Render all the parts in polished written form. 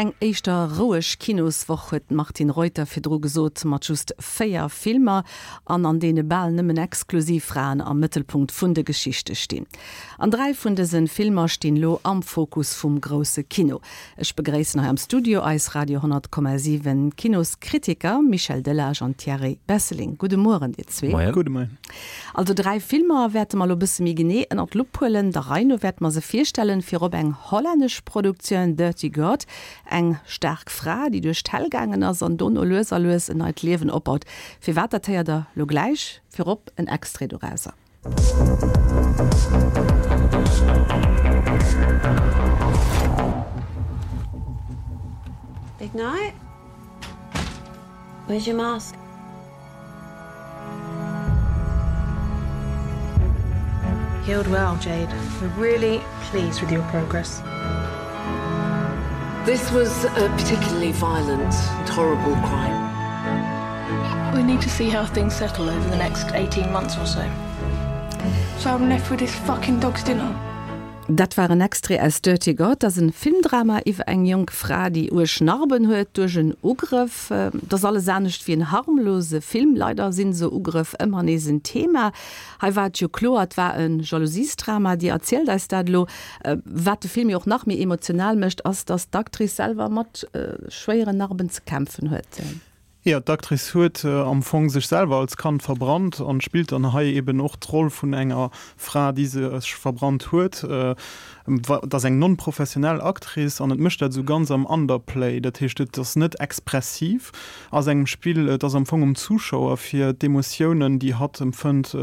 Eng éischter roueg Kinoswoch huet d'Martine Reuter virdru gesot, mat just 4 Filmer an an deene bal nëmmen exklusiv Fraen am Mëttelpunkt vun de Geschichte stinn. An 3 vun dëse Filmer stinn lo am Fokus vum grousse Kino. Ech begréissen hei am Studio eis Radio 10,7 Kinoskritiker Michel Delage an Thierry Besseling. Gudde Mueren dir zwee. Moien. Gudde Moien. Also 3 Filmer wäerte mer lo bësse méi genee ënnert d'Lupp huelen. Der Rei no wäerte mer se virstellen. Virop eng hollännesch Produktioun, Dirty God, eng staark Fra, déi duerch d'Häll gaangen ass an dono lues a lues en neit Liewen opbaut. Firwat, dat héiert der lo gläich. Virop en Extrait dorauser. Big night? Where's your mask? Healed well, Jade. We're really pleased with your progress. This was a particularly violent and horrible crime. We need to see how things settle over the next 18 months or so. So I'm left with this fucking dog's dinner. Dat war en Extrait aus Dirty God. Dat ass en Filmdrama iwwer eng jonk Fra, déi uerg Narben huet duerch en Ugrëff. Et ass alles anescht wéi en harmlose Film. Leider sinn esou Ugrëff ëmmer nees en Thema. Hei war et jo kloer, et war e Jalousiesdrama. Dir erzielt eis dat elo. Wat de Film jo och nach méi emotional mécht, ass, dass d'Actrice selwer mat schwéieren Narben ze kämpfen huet. Jo, d'Actrice huet am Fong sech selwer als Kand verbrannt an spillt dann hei eben och d'Roll vun enger Fra, déi sech verbrannt huet. Et ass eng non-professionell Actrice an et mécht dat esou ganz am Underplay, dat heescht et ass net expressiv a sengem Spill. Et ass am Fong um Zuschauer fir d'Emotiounen, déi hatt empfënnt,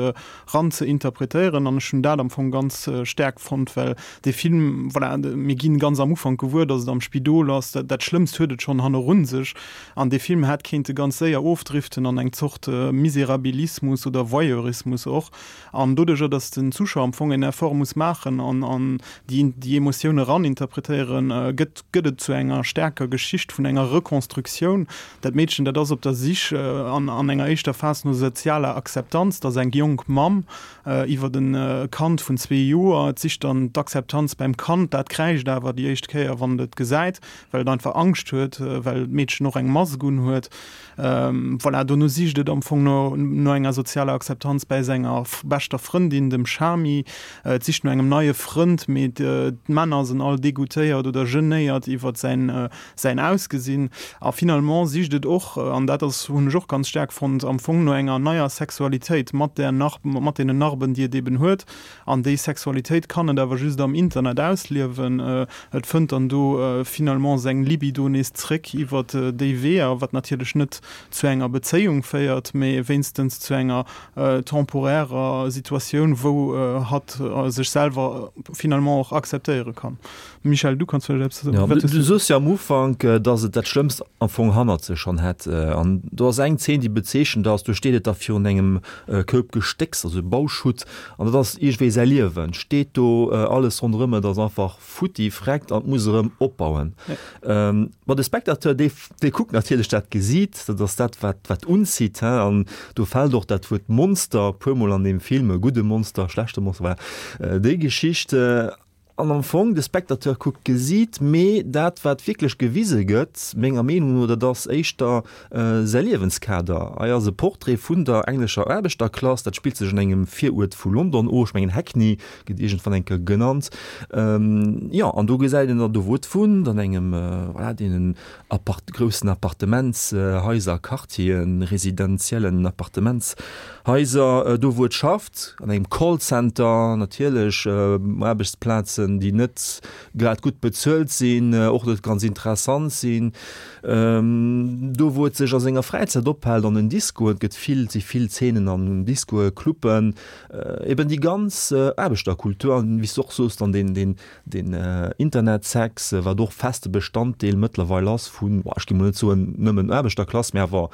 ran ze interpretéieren an ech hunn dat am Fong ganz staark fonnt, well dee Film, voilà, mir ginn ganz am Ufank gewuer, datt et am Spidol ass, dat Schlëmmst huet et schonn hannerun sech an dee Film hätt kéinte ganz séier ofdriften an eng Zort Miserabilismus oder Voyeurismus och an doduercher, datt den Zuschauer am Fong en Effort muss maachen an an déi déi Emotioune ran interpretéieren, gëtt gëtt et zu enger staarker Geschicht vun enger Reconstructioun. Dat Meedchen, dat ass op der Sich an an enger éischter Phas no sozialer Akzeptanz. Dat ass eng jonk Mamm iwwert e Kand vun zwee Joer. Et sicht dann d'Akzeptanz beim Kand. Dat kräischt awer déi éischt Kéier, wann et et gesäit, well et einfach Angscht huet, well d'Meedchen och eng Mask unhuet. Voilà, dono sicht et am Fong no no enger sozialer Akzeptanz bäi senger beschter Frëndin, dem Shami. Et sicht no engem neie Frënd, mee d'Männer sinn all degoûtéiert oder genéiert iwwert säin säin Ausgesinn. A finalement sicht et och, an dat ass, hunn ech och ganz staark fonnt, am Fong no enger neier Sexualitéit mat där Narb, mat deenen Narben, déi et eben huet. An déi Sexualitéit kann et awer just am Internet ausliewen. Et fënnt dann do finalement seng Libido nees zréck iwwer déi Weeër, wat natierlech net zu enger Bezéiung féiert, mee wéinstens zu enger temporärer Situatioun, wou hatt sech selwer finalement och akzeptéiere kann. Michel, du kanns vläicht eppes soen. Du soos jo am Ufank, dass et dat Schlëmmst am Fong hannert sech schonn hätt. An do ass eng Zeen, déi bezeechent ass, do steet et da virun engem Koup Gestécks, also Bauschutt, an dat ass iergendwéi säi Liewen, steet do, alles ronderëm et ass einfach futti, freckt an et muss erëm opbauen. Ma de Spectateur, dee, dee kuckt natierlech dat Gesiit, dat ass dat, wat, wat unzitt, hein, an do fält och dat Wuert Monster e puermol an deem Film, e gudde Monster, schlechte Monster, voilà, déi Geschicht. An am Fong, de Spectateur kuckt d'Gesiit, mee dat, wat wierklech gewise gëtt, menger Meenung no, dat ass éischter säi Liewenskader. Hei ass e Portrait vun der englescher Aarbechterklass, dat spillt sech an engem Viruert vu London of, ech mengen Hackney gëtt iergendwann eng Kéier genannt. Jo, an do gesäit een dann do, wou et wunnt, an engem, voilà, deenen Apart groussen Appartementshaiser, Quartieren, residentiellen Appartementshaiser, do wou et schafft, an engem Callcenter natierlech, Aarbechtsplazen, déi net grad gutt bezuelt sinn, och net ganz interessant sinn, do wou et sech a senger Fräizäit ophält, an den Discoen, et gëtt vill, et si vill Zeenen an Discoe, Cluben, eben déi ganz Aarbechterkultur an, wéi s de och soos, dann deen, deen Den Internetsex, wat och feste Bestanddeel mëttlerweil ass vun, ech gi mol net soen nëmmen Aarbechterklass, mä awer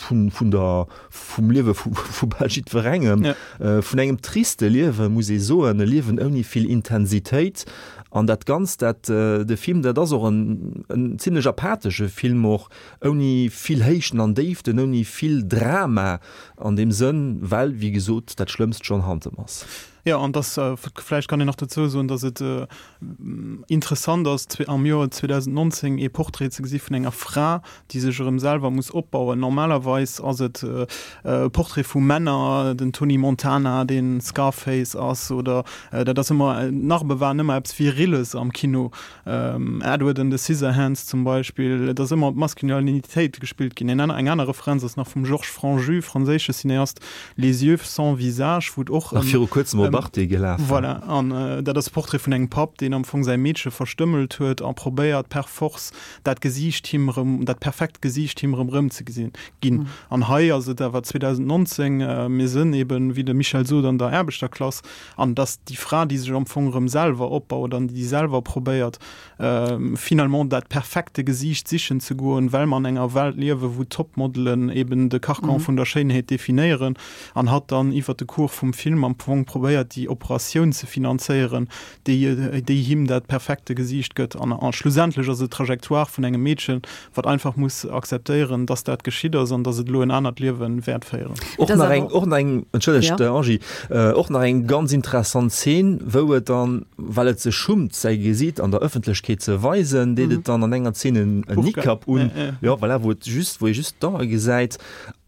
vun, vun der, vum Liewe vu, vu bal jiddwerengem, vun engem triste Liewe muss ee soen, e Liewen ouni vill Intensitéit. An dat Ganzt, dat, de Film, dat ass och en, en zimlech apathesche Film och, ouni vill Héichten an Déiften, ouni vill Drama an deem Sënn, well, wéi gesot, dat Schlëmmst schonn hanntem ass. Jo, an dass, vläicht kann een nach dozou soen, dass et interessant ass, am Joer 2019 ee Portrait ze gesi vun enger Fra, déi sech erëm selwer muss opbauen. Normalerweis ass et e Portrait vu Männer, den Tony Montana, dee Scarface ass, oder dat ass ëmmer, d'Narbe waren ëmmer eppes Virilles am Kino. Edward and the Scissorhands zum Beispill, et ass ëmmer op d'Maskulinitéit gespillt ginn. Eng aner Referenz ass nach vum Georges Franju, franséische Cineast, Les yeux sans visage, wou et och ëm. Nach viru kuerzem op Arte gelaf. Voilà, an dat ass e Portrait vun engem Papp, deen am Fong säi Meedche verstëmmelt huet a probéiert per force dat Gesiicht him erëm, dat perfekt Gesiicht him erëm erëmzegesinn ginn. An hei ass et awer 2019, mir sënn eben, wéi de Michel sot, an der Aarbechterklass, An dass déi Fra, déi sech am Fong erëm selwer opbaut an déi selwer probéiert, finalement dat perfekte Gesiicht sichen ze goen, well mer an enger Welt liewen, wou d'Topmodelen eben de Carcan vun der Schéinheet definéieren, an hatt dann iwwert de Cours vum Film am Fong probéiert, déi Operatioun ze finanzéieren, déi, déi him dat perfekte Gesiicht gëtt. An schlussendlech ass et d'Trajectoire vun engem Meedchen, wat einfach muss akzeptéieren, dass dat geschitt ass an dass et elo en anert Liewe wäert féieren. Och nach eng, och nach eng, entschëllegt Angie, och nach eng ganz interessant Zeen, wou et dann, well et sech schummt säi Gesiit an der Ëffentlechkeet ze weisen, deet et dann an enger Zeen en Niqab un, jo voilà, wou et just, wou ee just d'Ae gesäit.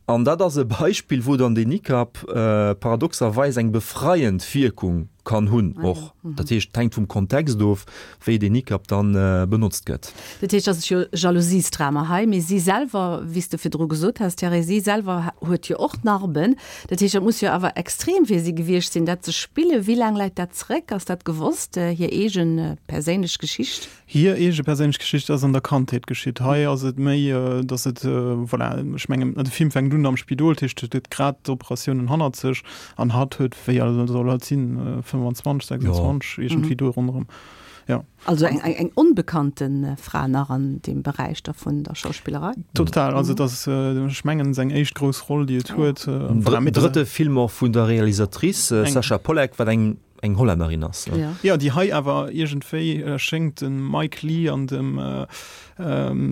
An dat ass e Beispill, wou dann deen Niqab paradoxerweis eng befreiend Wierkung kann hunn och. Dat heescht, et hänkt vum Kontext of, wéi deen Niqab dann benotzt gëtt. Dat heescht, dat ass jo Jalousiesdrama hei, mee si selwer, wéi s de virdru gesot has, Thierry, si selwer huet jo och Narben. Dat heescht, dat muss jo awer extrem fir si gewiescht sinn, dat ze spillen. Wéi laang läit dat zréck? Ass dat gewosst, hir eege perséinlech Geschicht? Hir eege perséinlech Geschicht ass an der Kandheet geschitt. Hei ass et méi, datt et, voilà, ech mengen, de Film fänkt un am Spidol, dat heescht, et huet grad d'Operatiounen hannert sech an hatt huet, wéi al soll hatt sinn, 25, 26, iergendwéi do ronderëm, jo. Also eng, eng onbekannte Fra nach an deem Beräich da vun der Schauspillerei? Total, also et ass, ech mengen, seng éischt grouss Roll, déi et huet. Drëtte Film och vun der Realisatrice Sacha Polak, wat eng eng Hollännerin ass. Ja, ja déi hei awer iergendwéi schéngt dem Mike Leigh an dem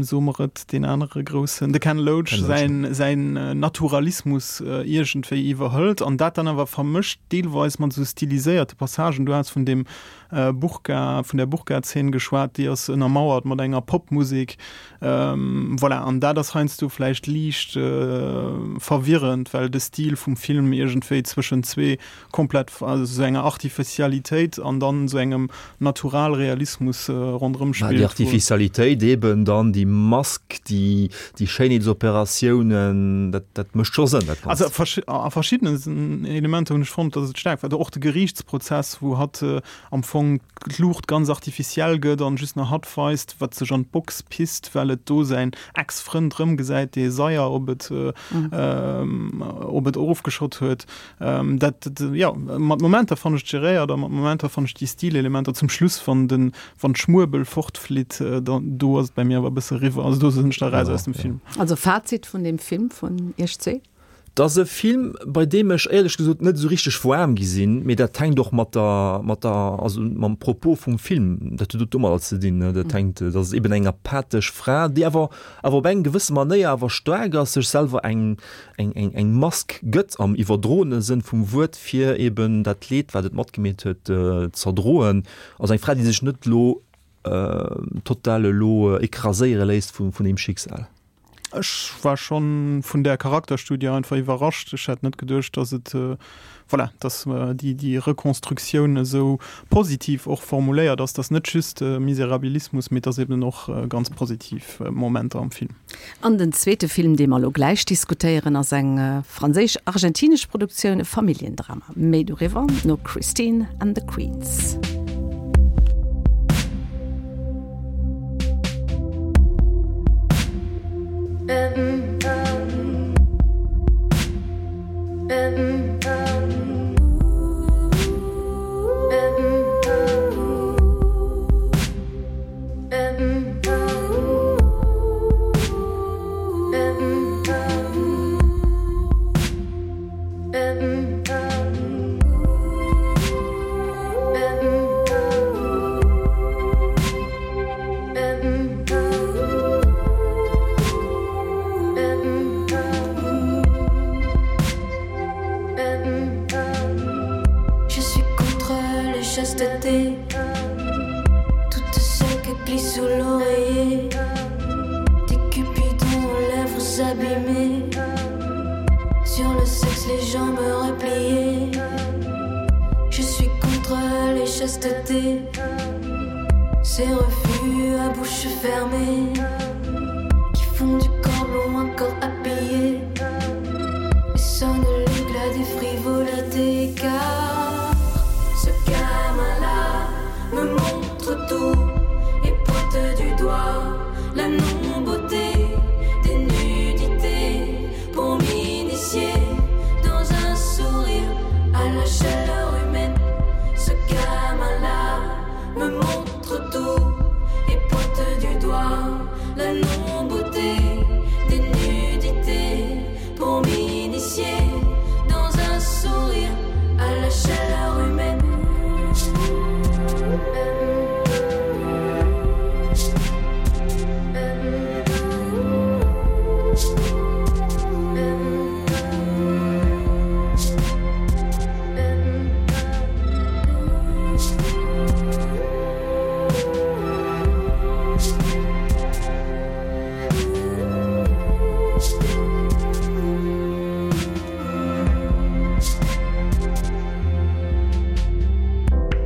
soe mer et, deen anere groussen, de Ken Loach, säin, säin Naturalismus iergendwéi iwwerhëlt an dat dann awer vermëscht deelweis mat esou stiliséierte Passagen. Du has vun deem Burka, vun där Burka-Zeen geschwat, déi ass ënnermauert mat enger Popmusek. Voilà, an dat ass heiansdo vläicht liicht verwirrend, well de Stil vum Film iergendwéi zwëschen zwee komplett also sou enger Artificialitéit an dann sou engem Naturalrealismus ronderëm spillt. Déi Artificialitéit eben, dann déi Mask, déi déi Schéinheetsoperatiounen, dat dat mécht scho Sënn dat Ganzt. Also a verschiddenen Elementer hunn ech fonnt, datt et staark war. Och de Geriichtsprozess, wou hatt am Fong d'Luucht ganz artificiell gëtt an just nach hatt weist, wat sech an d'Box pisst, well et do säin Ex-Frënd rëmgesäit, dee Saier op et op et erofgeschott huet. Dat, jo, mat Momenter fannen ech et geréiert a mat Momenter fannen ech déi Stilelementer zum Schluss, wann den, wann d'Schmuebel fortflitt, dann, do ass et bei mir awer e bësse eriwwer. Also do sinn ech da raus aus dem Film. Also Fazit vun deem Film vun Iech zwee? Et ass e Film, bei deem ech éierlech gesot net esou richteg waarm gi sinn, mee dat hänkt och mat der, mat der, also mam Propos vum Film, dat huet domadder ze dinn, dat hänkt, dat ass eben eng apathesch Fra, déi awer, awer op eng gewësse Manéier awer staark ass, sech selwer eng, eng, eng, eng Mask gëtt am iwwerdroene Sënn vum Wuert, fir eben dat Leed, wat et matgemeet huet, z'erdroen. Also eng Fra, déi sech net elo total elo écraséiere léisst vun, vun deem Schicksal. Ech war schonn vun där Charakterstudie einfach iwwerrascht. Ech hätt net geduecht, dass et, voilà, dass déi, déi Rekonstruktioun esou positiv och formuléiert ass, dass net just Miserabilismus, mee dass eben och ganz positiv Momenter am Film. An den zweete Film, dee mer elo gläich diskutéieren, ass eng franséisch-argentinesch Produktioun, e Familljendrama. Méi doriwwer no Christine and the Queens. chasteté Toutes celles que glisse sous l'oreiller Des cupidons aux lèvres abîmées Sur le sexe les jambes repliées Je suis contre les chastetés Ces refus à bouche fermée Qui font du corps long encore habillé Et sonne le glas des frivolités Car ce gamin-là me montre tout Et pointe du doigt la non-beauté Des nudités pour m'initier Dans un sourire à la chaleur humaine Ce gamin-là me montre tout Et pointe du doigt la non-beauté Des nudités pour m'initier Dans un sourire à la chaleur humaine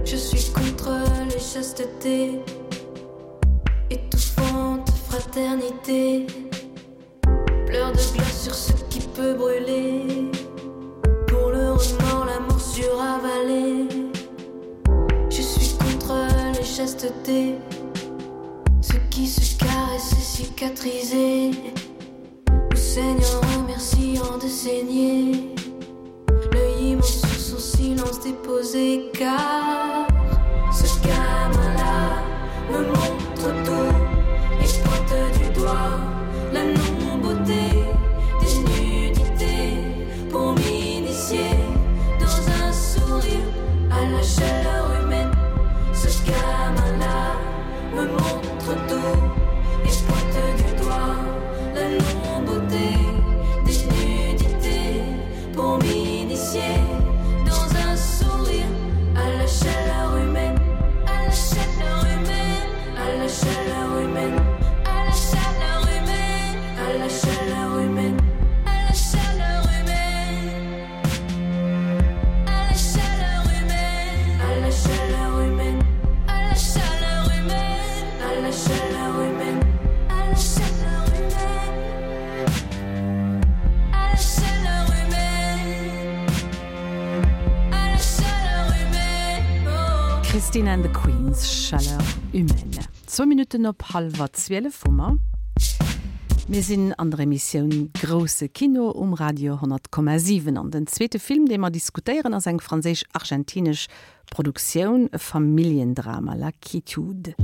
Je suis contre les chastetés Étouffante fraternité Pleurs de glace sur ce qui peut brûler Pour le remords, la morsure avalée Je suis contre les chastetés Ceux qui se caressent et cicatrisés Ou saignant remerciant de saigner L'œil immense sur son silence déposé Car ce gamin-là me montre tout Et pointe du doigt la non-beauté Des nudités pour m'initier Dans un sourire à la chaleur humaine Ce gamin-là me montre tout Et pointe du doigt la non-beauté Des nudités pour m'initier Dans un sourire à la chaleur humaine À la chaleur humaine, à la chaleur humaine À la chaleur humaine, à la chaleur humaine À la chaleur humaine À la chaleur humaine, à la chaleur humaine À la chaleur humaine, à la chaleur humaine À la chaleur humaine À la chaleur humaine À la chaleur humaine oh. Christine and the Queens, Chaleur humaine. Zwou Minutten op hallwer 12 hu mer. Mir sinn an der Emissioun Grousse Kino um Radio 100,7 an den zweete Film, dee mer diskutéieren, ass eng franséisch-argentinesch Produktioun, e Familljendrama, La Quiétude.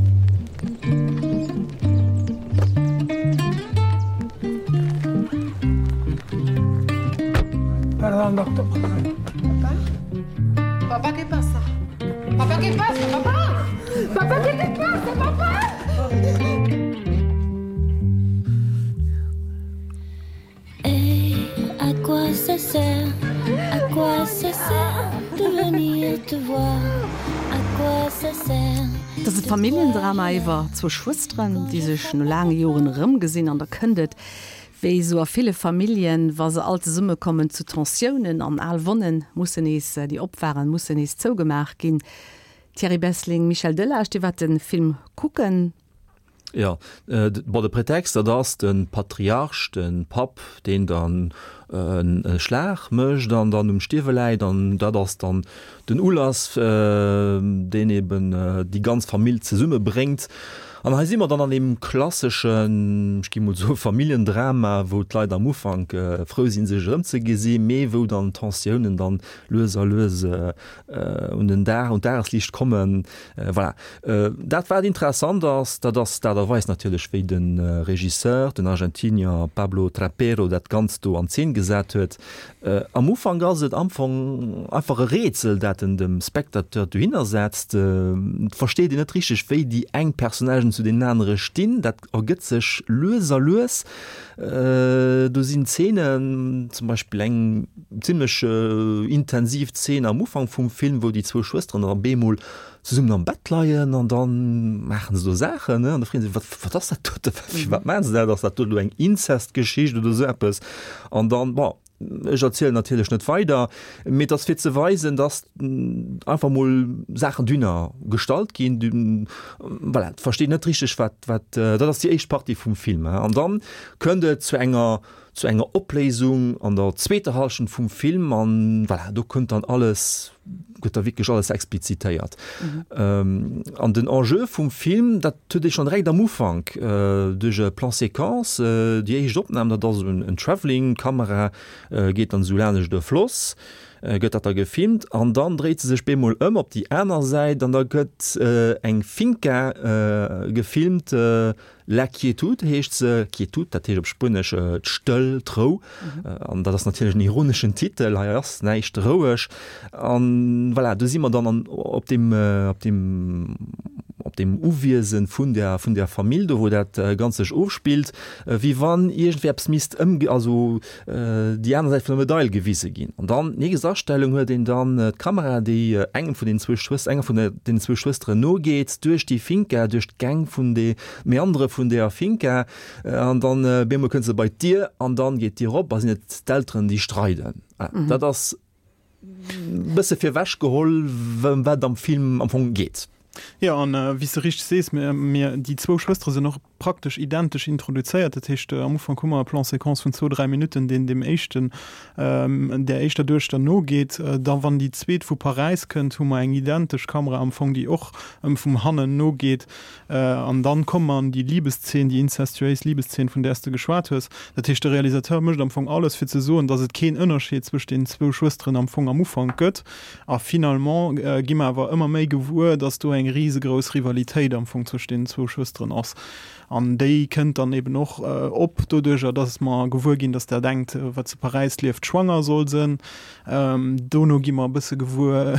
Pardon, doctor. Papa? Papa, qué pasa? Papa, qué pasa? Papa! Papa, qué te pasa? Papa! Et à quoi ça sert? À quoi ça sert de venir te voir? À quoi ça sert? Et ass e Familljendrama iwwer zwou Schwësteren, déi sech no laange Joren erëmgesinn an da kënnt et, wéi esou a ville Familljen, wa se all zesumme kommen, zu Tensiounen an al Wonnen mussen nees, déi op waren, mussen nees zougemaach ginn. Thierry Bessling, Michel Delage, Dir waart de Film kucken. Jo, bon, de Prétexte, dat ass de Patriarch, de Papp, deen dann e Schlag mécht an dann um Stierwe läit. An dat ass dann den Ulass, deen eben déi ganz Famill zesummebréngt. An hei si mer dann an deem klasseschen, ech gi mol soe Familljendrama, wou d'Leit am Ufank frou sinn, sech erëmzegesinn, mee wou dann d'Tensiounen dann lues a lues un den Dag, un d'Dagesliicht kommen. Voilà. Dat wat interessant ass, dat ass d'Aart a Weis natierlech, wéi de Regisseur, den Argentinier Pablo Trapero, dat Ganzt do an Zeen gesat huet. Am Ufank ass et am Fong einfach e Rätsel, dat en dem Spectateur dohinner setzt. Et versteet een net richteg, wéi déi eng Personnagen. Personnagen zu deenen anere stinn, dat ergëtt sech lues a lues. Do sinn Zeenen, zum Beispill eng zimmlech intensiv Zeen am Ufank vum Film, wou déi zwou Schwësteren dann op eemol zesummen am Bett leien an da maachen se do Saachen, ne, an da freet ee sech, wat, wat ass dat dote, firwat maachen se dat, ass dat do elo eng Inzestgeschicht oder esou eppes? An dann, bon, ech erzielen natierlech net weider, mee et ass fir ze weisen, dass einfach mol Saachen dünner gestallt ginn, voilà, et versteet net richteg wat, wat, dat ass déi éischt Partie vum Film, an dann kënnt et zu enger zu enger Opléisung an der zweeter Hallschent vum Film an voilà, do kënnt dann alles, gëtt da wierklech alles explizitéiert. Mhm. An den Enjeu vum Film, dat huet ee schonn direkt am Ufank duerch e Plan séquence, déi éischt Opnam, dat ass en Travelling, d'Kamera geet dann esou laanescht e Floss, gëtt dat da gefilmt an dann dréit se sech bemol ëm op déi aner Säit an da gëtt eng Finca gefilmt, La Quietud heescht se. Quietud, dat heescht op Spuenesch d'Stëll, d'Rou. An dat ass natierlech en ironeschen Titel, hei ass näischt roueg. An voilà, do si mer dann an op deem, op deem, op deem Uwiese vun der, vun der Famill do, wou dat Ganzt sech ofspillt, wéi wann iergendwéi eppes misst ëmge-, also déi aner Säit vun der Medail gewise ginn. An dann, nächst Astellung, huet een dann d'Kamera, déi engem vun den zwou Schwës-, enger vun den zwou Schwësteren nogeet, duerch déi Finca, duerch d'Gäng vun de Meandere vun deeër Finca. An dann bemol kënnt se bei d'Dier an dann geet d'Dier op a sinn et d'Elteren, déi streiden. Dat ass bësse virwech geholl, ëm wat et am Film am Fong geet. Jo, an wéi s de richteg sees, mir, déi zwou Schwëstere sinn och praktesch identesch introduzéiert. Dat heescht, am Ufank hu mer e Plan séquence vun zwou, dräi Minutten, deen deem éischten, där éischter Duechter nogeet. Da wann déi zweet vu Paräis kënnt, hu mer eng identesch Kamera am Fong, déi och ëm vum hannen nogeet. An dann komme mer an déi Libeszeen, déi inzestuéis Libeszeen, vun där s de geschwat hues. Dat heescht, de Realisateur mécht am Fong alles, fir ze soen, datt et keen Ënnerscheed zwëscht deenen zwou Schwësteren am Fong am Ufank gëtt. A finalement gi mer awer ëmmer méi gewuer, datt do eng risegrouss Rivalitéit am Fong zwëscht deenen zwou Schwësteren ass. An déi kënnt dann eben och op doduerjer, datt mer gewuer ginn, datt dat engt, wat zu Paräis lieft, schwanger soll sënn. Dono gi mer e bësse gewuer,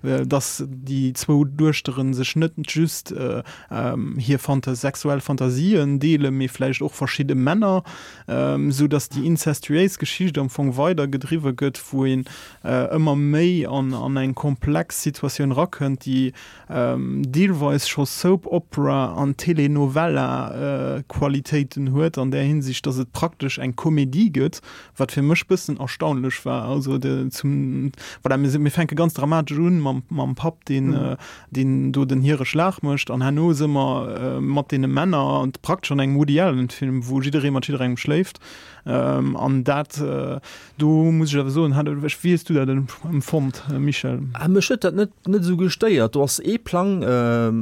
datt déi zwou Duechtere sech net just hir sexuell Fantasien deelen, mee vläicht och verschidde Männer, sou datt déi inzestuéis Geschicht am Fong weider gedriwwe gëtt, wou een ëmmer méi an eng komplex Situatioun rakënnt, déi deelweis scho Soap Opera an Telenovela Qualitéiten huet an där Hinsicht, datt et praktesch eng Komedie gëtt, wat fir mech bëssen erstaunlech war. Also de, zum, voilà, mir, mir fänke ganz dramatesch un mam, mam Papp, deen, mhm. deen do den hire Schlag mécht an herno si mer äh, mat deene Männer an praktesch an engem Woody Allen Film, wou jidderee mat jidderengem schléift. Ähm, an dat äh, do muss ech awer soen, hat ech, wéi hues du dat empfonnt, Michel? Ah, mech huet dat net, net esou gestéiert. Do ass ee Plang, äh,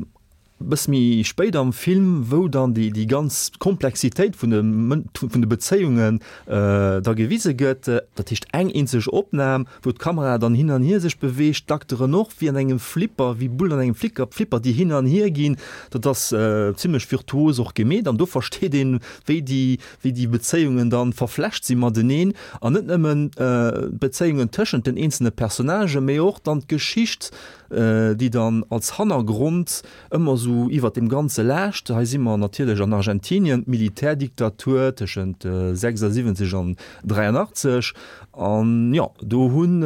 Bësse méi spéit am Film, wou dann déi déi ganz Komplexitéit vun de vun de Bezéiungen da gewise gëtt, dat heescht eng eenzeg Opnam, wou d'Kamera dann hin an hier sech beweegt, d'Acteuren och, wéi an engem Flipper, wéi Bullen an engem Flicker, Flipper, déi hin an hier ginn. Dat ass zimlech virtuos och gemeet an do versteet een, wéi déi wéi déi Bezéiungen dann verflecht si mateneen an net nëmmen d'Bezéiungen tëschent den eenzelne Personnagen, mee och dann d'Geschicht déi dann als Hannergrond ëmmer esou iwwert deem Ganze laascht. Hei si mer natierlech an Argentinien, d'Militärdiktatur tëschent 76 an 83. An jo, do hunn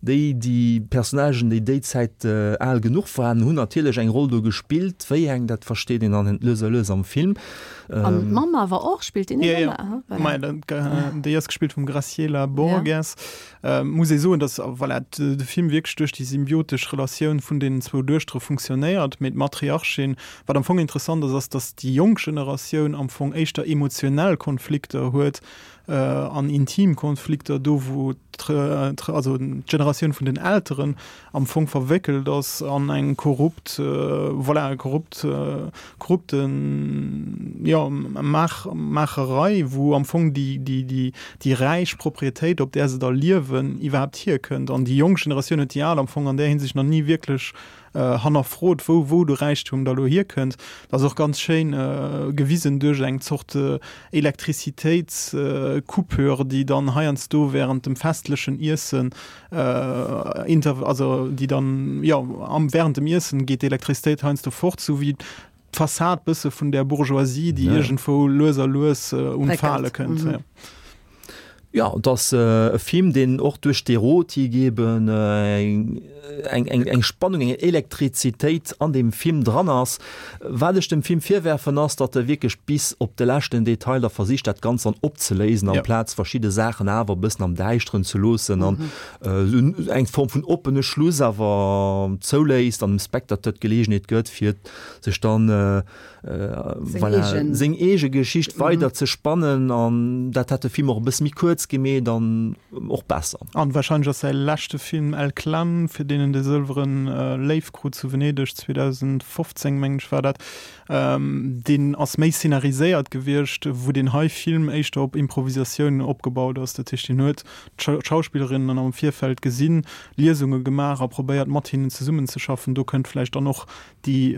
déi, déi Personnagen, déi déi Zäit al genuch waren, hunn natierlech eng Roll do gespillt. Wéi eng, dat versteet een dann lues a lues am Film. An d'Mamm awer och, spillt déi net ëmmer? Voilà. Déi ass gespillt vum Graciela Borges. Muss ee soen, datt voilà, de Film wierklech duerch déi symbiotesch Relatioun vun deenen zwou Duechtere funktionéiert, mee d'Matriarchin, wat am Fong interessant ass, ass, datt déi jonk Generatioun am Fong éischter emotionell Konflikter huet an intim Konflikter, do wou also d'Generatioun vun den Elteren am Fong verwéckelt ass an eng korrupt, voilà, korrupt, korrupten, jo, Maach, Maacherei, wou am Fong déi, déi, déi, déi räich Proprietéit, op där se da liewen, iwwerhaapt hierkënnt. An déi jonk Generatioun huet déi al am Fong an där Hinsicht nach ni wierklech hannerfrot, wou, wou de Räichtum da lo hierkënnt. Dat ass och ganz schéin gewisen duerch eng Zort Elektrizitéitscoupure, déi dann heiansdo während dem festlechen Iessen Inter also déi dann jo am während dem Iessen geet d'Elektrizitéit heiansdo fort, sou wéi. d'Fassad bësse vun där Bourgeoisie, déi iergendwou lues a lues un d'Fale kënnt. Jo, et ass e Film, deen och duerch d'Erotik eben eng, eng, eng Spannung, eng Elektrizitéit an deem Film dran ass. Wat ech dem Film virwerfen, ass, datt e wierklech bis op de leschten Detail da versicht, dat Ganzt dann opzeléisen, amplaz verschidde Saachen awer e bëssen am Däischteren ze loossen an eng Form vun oppene Schluss awer zouléisst an dem Spectateur d'Geleegenheet gëtt, fir sech dann voilà, seng eege Geschicht weider ze spannen an dat hätt de Film och e bësse méi kuerz gemeet an och besser. An wahrscheinlech ass säi leschte Film El Clan, fir deen en de sëlweren Léiw krut zu Venedeg 2015, mengen ech war dat. Deen ass méi szenariséiert gewiescht, wou deen hei Film éischter op Improvisatioun opgebaut ass. Dat heescht, hien huet d'Schauspillerinnen am Virfeld gesinn, Liesunge gemaach a probéiert mat hinnen zesummenzeschaffen. Do kënnt vläicht dann och déi,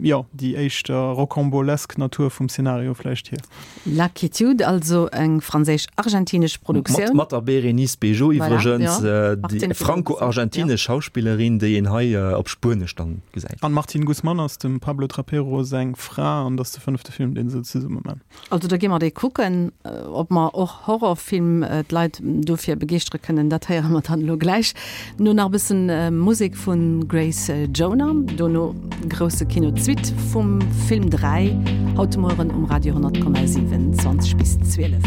jo, déi éischter rocambolesk Natur vum Szenario vläicht hier. La Quiétude, also eng franséisch-argentinesch Produktioun. Mat der Bérénice Bejo iwwregens, déi franco-argentinesch Schauspillerin, déi een hei op Spuenesch dann gesäit. An d'Martine Guzman ass dem Pablo Trapero seng Fra an et ass de fënnefte Film, dee se zesumme man. Also da gi mer dee kucken. Ob mer och Horrorfilm d'Leit dofir begeeschtere kënnen, dat héiere mer dann elo gläich. No nach e bëssen Musek vu Grace Jonah, dono grousse Kino, d'Suite vum Film 3, haut de Mueren um Radio 100,7, 20 bis 12.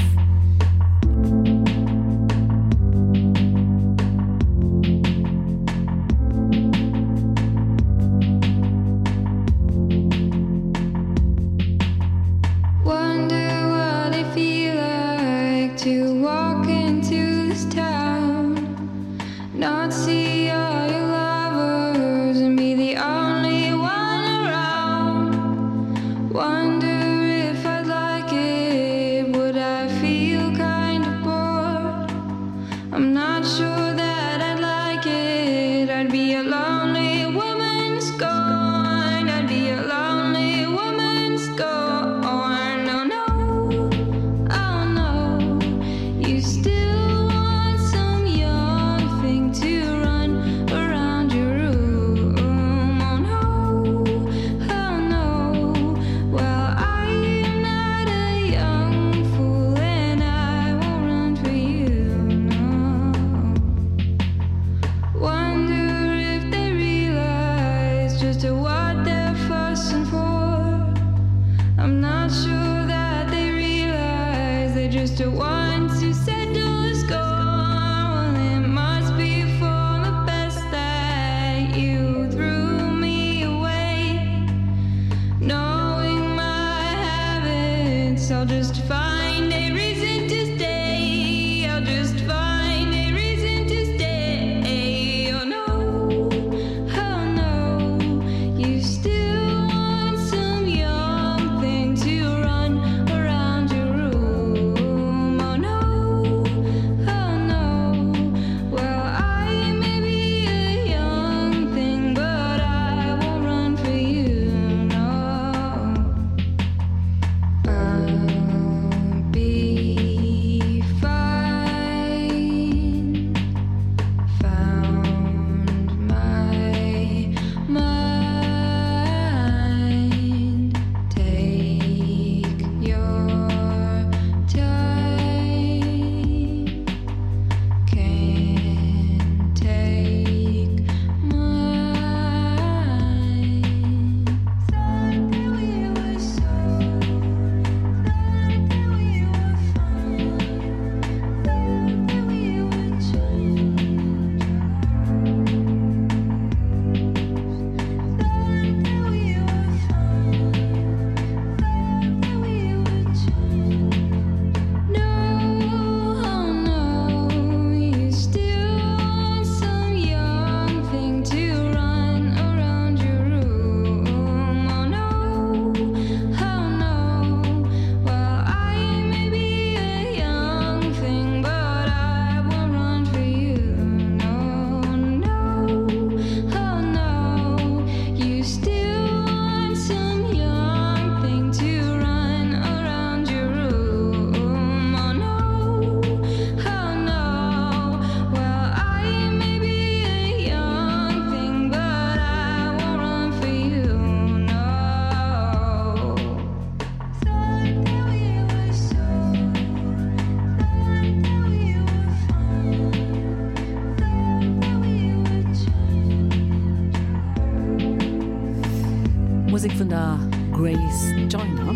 Musek vun der Grace Joyner,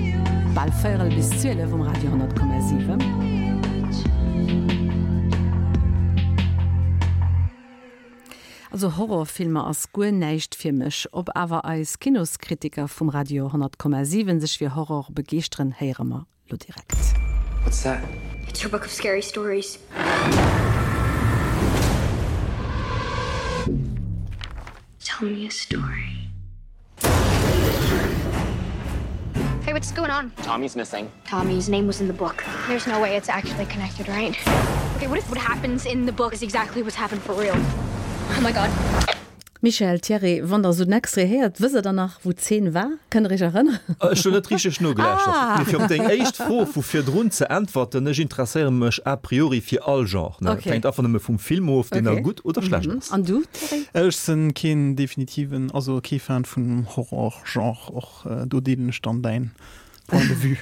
bal véierel bis 12 um Radio 10,7. Also Horrorfilmer ass guer näischt fir mech. Ob awer eis Kinoskritiker vum Radio 10,7 sech fir Horror begeeschteren, héiere mer lo direkt. What's that? It's your book of scary stories. Tell me a story. Hey, what's going on? Tommy's missing. Tommy's name was in the book. There's no way it's actually connected, right? Okay, what if what happens in the book is exactly what's happened for real? Oh my god. Michel, Thierry, wann der esou den Extrait héiert, wësst der dann nach, wou d'Zeen war? Kënnt der iech erënneren? Ech hunn net richteg nogelauschtert. Mee fir op deng éischt Fro vu virdrun ze äntwerten, Ech interesséiere mech a priori fir all Genre. Et hänkt einfach nëmme vum Film of, deen da gutt oder schlecht ass. An du, Thierry? Ech sinn keen definitiven, also kee Fan vum Horror-Genre. Och do deelen ech dann däin Point de vue.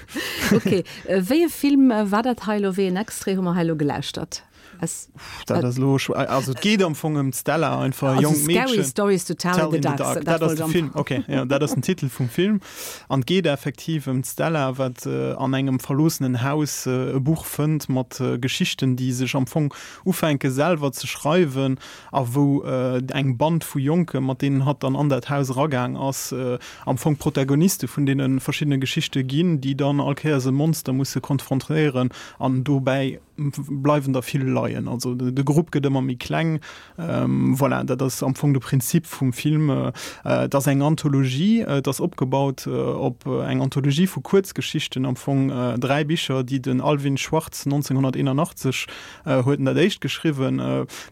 Ok. Wéi e Film war dat hei elo? Wéi en Extrait hu mer hei elo gelauschtert? Es, dat ass lo also et geet am Fong ëm d'Stella einfach also jonk Scary Mädchen. Stories to tell, tell in the dark. Dat ass de Film okay ja, dat ass den Titel vum Film an geet effektiv ëm d'Stella wat äh, an engem verloossenen Haus äh, e Buch fënnt mat äh, Geschichten déi sech am Fong ufänke selwer ze schreiwen a wou äh, eng Band vu Jonke mat deenen hatt dann an dat Haus eragaang ass äh, am Fong Protagoniste vun deene verschiddene Geschichte ginn, déi dann all Kéiers e Monster musse konfrontéieren an dobäi bleiwen der vill leien. Also de Grupp gëtt ëmmer méi kleng. Voilà, dat ass am Fong de Prinzip vum Film. Et ass eng Anthologie, et ass opgebaut op eng Anthologie vu Kuerzgeschichten, am Fong 3 Bicher, déi den Alvin Schwartz 1981 huet en dat éischt geschriwwen.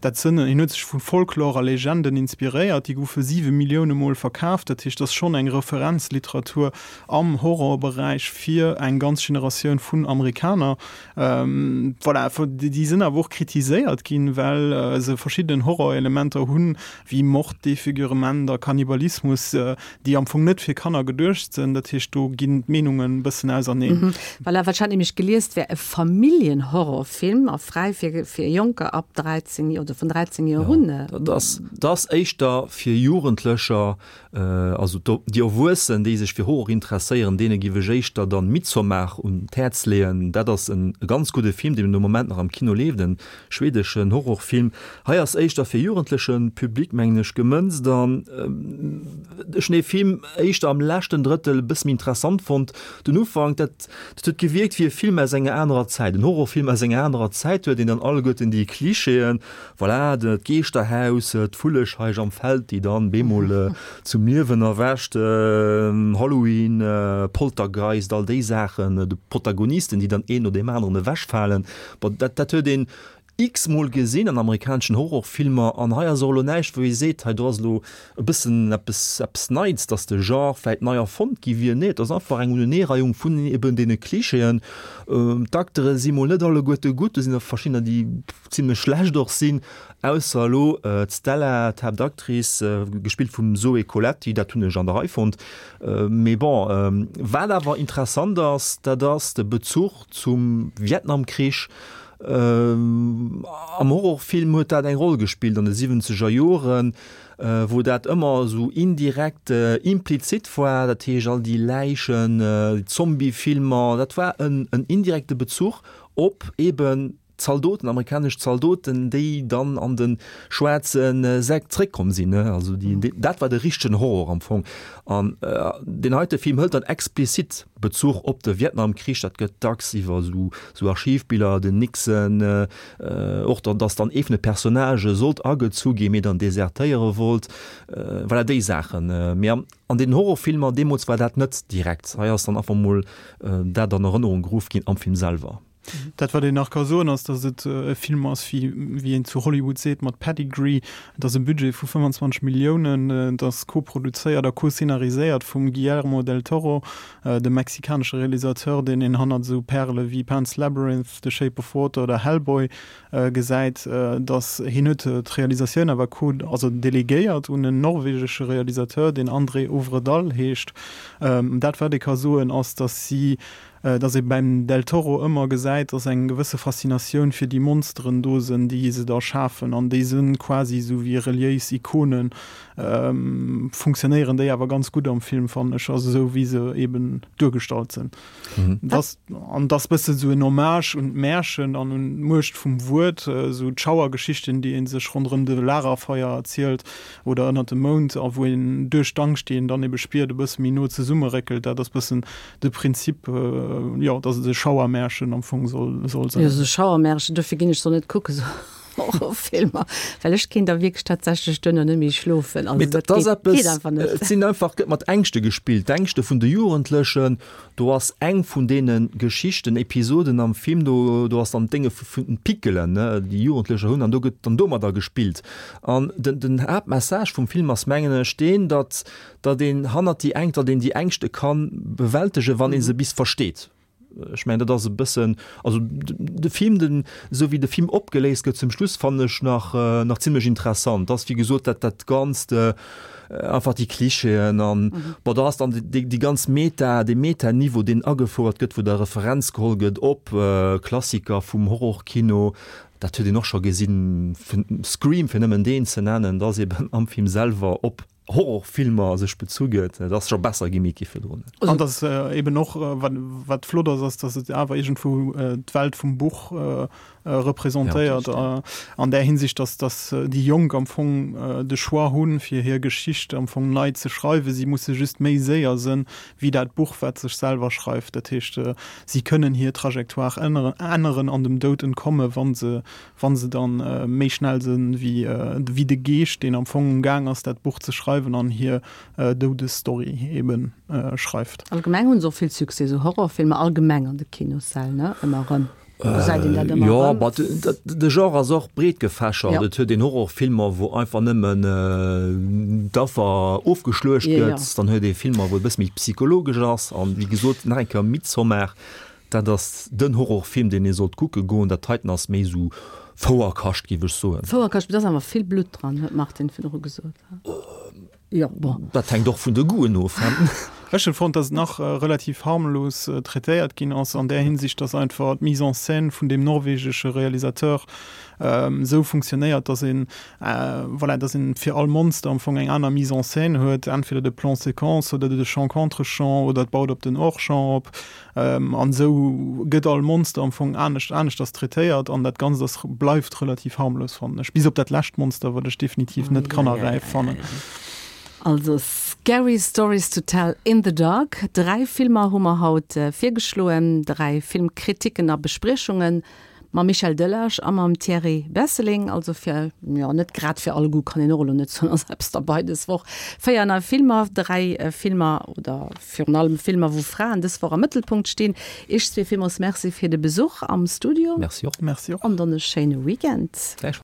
Dat sënn, hien huet sech vu Folklore a Legenden inspiréiert, déi goufe 7 Millioune Mol verkaaft. Dat heescht, et ass schonn eng Referenzliteratur am Horrorberäich fir eng ganz Generatioun vun Amerikaner. Voilà, déi sinn awer och kritiséiert ginn, well se verschidden Horrorelementer hunn, wéi Mord, Defigurement a Kannibalismus, déi am Fong net fir Kanner geduecht sinn. Dat heescht, do ginn d'Meenungen e bëssen auserneen. Voilà, wat ech hat nämlech gelies, et wär e Familljenhorrorfilm a fräi fir fir Jonker ab 13 oder vun 13 Joer un. Dat ass, dat ass éischter fir Jugendlecher. Also déi Erwuessen, déi sech fir Horror interesséieren, deene giff ech éischter dann Midsommar un d'Häerz leeën. Dat ass en ganz gudde Film, deen de Moment nach am Kino leeft, en schwedeschen Horrorfilm. Hei ass éischter fir jugendleche Public, mengen ech, gemënzt an ech hunn dee Film éischter am leschten Drëttel e bësse méi interessant fonnt. Den Ufank, dat huet gewierkt wéi e Film aus enger anerer Zäit, en Horrorfilm aus enger anerer Zäit, huet een dann alleguerten déi Klischeeën, Voilà, d'Geeschterhaus, d'Vullescheich am Feld, déi dann bemol zum Liewen erwächt, Halloween, Poltergeist, all déi Saachen, de Protagonisten, déi dann een no deem aneren ewechfalen. Bon, dat, dat huet een x-mol gesinn an amerikaneschen Horrorfilmer an hei ass och elo näischt, wou ee seet, hei do ass elo e bëssen eppes, eppes Neits, dass de Genre vläit nei erfonnt gi wier. Nee, et ass einfach eng Uneneereihung vun eben deene Klischeeën. D'Acteure si mol net alleguerte gutt, do sinn der verschiddener, déi zimlech schlecht och sinn, ausser elo d'Stella, d'Haaptactrice, gespillt vum Zoé Coletti, dat hunn ech an der Rei fonnt. Mee bon, wat awer interessant ass, dat ass de Bezuch zum Vietnamkrich. Am Horrorfilm huet dat eng Roll gespillt an de siwwenzeger Joren, wou dat ëmmer esou indirekt implizit war, dat heescht all déi Läichen, déi Zombiefilmer, dat war en indirekte Bezuch op eben Zaldoten, amerikanesch Zaldoten, déi dann an de schwaarze Säck zréckkomm sinn. Also déi, dat war de richtegen Horror am Fong. An deen heite Film hëlt dann explizit Bezuch op de Vietnamkrich. Dat gëtt dacks iwwer esou, esou Archivbiller, den Nixon, och dann, datt dann ee vun de Personnagë sollt agezu ginn, mee dann desertéiere wollt. Voilà, déi Saachen. Mee an den Horrorfilmer deemools war dat net direkt. Hei ass dann einfach mol dat an Erënnerung geruff ginn am Film selwer. Dat wat een nach ka soen ass, datt et e Film ass, wéi wéi een zu Hollywood seet, mat Pedigree. Et ass e Budget vu 25 Milliounen, et ass koproduzéiert a co-scenariséiert vum Guillermo del Toro, dem mexikanesche Realisateur, deen een hannert esou Pärele wéi Pan's Labyrinth, The Shape of Water oder Hellboy gesäit. Datt hien huet d'Realisatioun awer co-, also delegéiert un en norwegesche Realisateur, deen André Øvredal heescht. Dat wat ee ka soen ass, datt si. Dass ee beim Del Toro ëmmer gesäit, dass eng gewësse Faszinatioun fir déi Monsteren do sënn, déi se da schafen, an déi sënn quasi esou wéi reliéis Ikonen, funktionéieren déi awer ganz gutt am Film, fannen ech, also esou wéi se eben duergestallt sënn. Dass, an dass bëssen esou en Hommage un d'Märchen an un d'Muecht vum Wuert, esou d'Schauergeschichten, déi ee sech ronderëm de Lagerfeuer erzielt oder ënnert dem Mound, a wou een duerch d'Angscht, déi een dann ebe spiert, e bësse méi no zesummeréckelt, dat ass bëssen de Prinzip, jo, dass et e Schauermärchen am Fong soll, soll sinn. Jo, esou Schauermärchen, dofir ginn ech se net kucken, esou Horrorfilmer, well ech kéint da wierklech tatsächlech duerno net méi schlofen. Also dat geet, geet einfach net. Et sinn einfach, gëtt mat Ängschte gespillt, d'Ängschte vun de Jugendlechen. Do ass eng vun deene Geschichten, Episoden am Film, do, do ass dann d'Dénge vun den Pickelen, ne, déi Jugendlecher hunn, an do gëtt dann domadder gespillt. An den, den Haaptmessage vum Film ass, mengen ech, deen, datt datt een hannert déi Ängscht, datt een déi Ängschte ka bewältegen, wann ee se bis versteet. Ech mengen, dat ass e bëssen, also de Film, den, esou wéi de Film opgeléist gëtt zum Schluss, fannen ech nach, nach zimlech interessant. Dat ass wéi gesot dat, dat Ganzt, einfach déi Klischeeën an, bon, da ass dann déi, déi ganz Meta, dee Meta-Niveau, deen agefouert gëtt, wou da Referenz geholl gëtt op Klassiker vum Horrorkino, dat huet een och scho gesinn, Scream, fir nëmmen deen ze nennen, dat ass eben am Film selwer op Horrorfilmer sech bezu gëtt, dat ass scho besser gi méi virdrun. An dass eben och, wat flott ass, ass, dass et awer iergendwou d'Welt vum Buch representéiert an där Hinsicht, dass dass déi Jonk am Fong de Choix hunn, fir hir Geschicht am Fong nei ze schreiwen. Si musse just méi séier sënn wéi dat Buch, wat sech selwer schreift. Dat heescht, si kënnen hir Trajectoire änneren an dem Doud entkomme wa se wann se dann méi schnell sinn wéi de Geescht, deen am Fong um Gaang ass dat Buch ze schreiwen an hir Doudesstory eben schreift. Allgemeng hunn se och vill Succès, esou Horrorfilmer allgemeng an de Kinossäll, ne? Ëmmer erëm gesäit een dat ëmmer erëm. Jo, ma de Genre ass och breet gefächert. Et huet een Horrorfilmer, wou einfach nëmmen d'Affer ofgeschluecht gëtt. Dann huet ee Filmer, wou e bësse méi psychologesch ass. An wéi gesot, nach eng Kéier Midsommar, Dat ass den Horrorfilm deen ee sollt kucke goen. Dat heiten ass méi sou Fouerkascht géif ech soen. Fouerkascht, mee do ass awer vill Blutt dran, huet d'Martine virdru gesot. Jo, bon. Dat hänkt och vun de Goûten of. Ech hunn fonnt, dass et nach relativ harmlos traitéiert ginn ass, an där Hinsicht, dass einfach d'Mise en scène vun deem norwegesche Realisateur esou funktionéiert, dass een, voilà, dass een fir all Monster am Fong eng aner Mise en scène huet, entweder de Plan séquence oder de Champ contre-champ oder et baut op den Hors-champ op. An esou gëtt all Monster am Fong anescht aneschters traitéiert an dat Ganzt ass bleift relativ harmlos fannen ech, bis op dat lescht Monster, wat ech definitiv net kannerräif fannen. Also Scary Stories to Tell in the Dark, 3 Filmer hu mer haut virgeschloen, 3 Filmkritiken a Bespriechungen. Mam Michel Delage a mam Thierry Besseling, also fir, jo, net grad fir all Goût kann een och elo net soen, ass eppes derbei dës Woch. 4 nei Filmer, 3 Filmer oder virun allem Filmer, wou Fraen dës Woch am Mëttelpunkt stinn. Iech zwee villmools Merci fir de Besuch am Studio. Merci och. Merci och. An dann e schéine Weekend. Gläichfalls.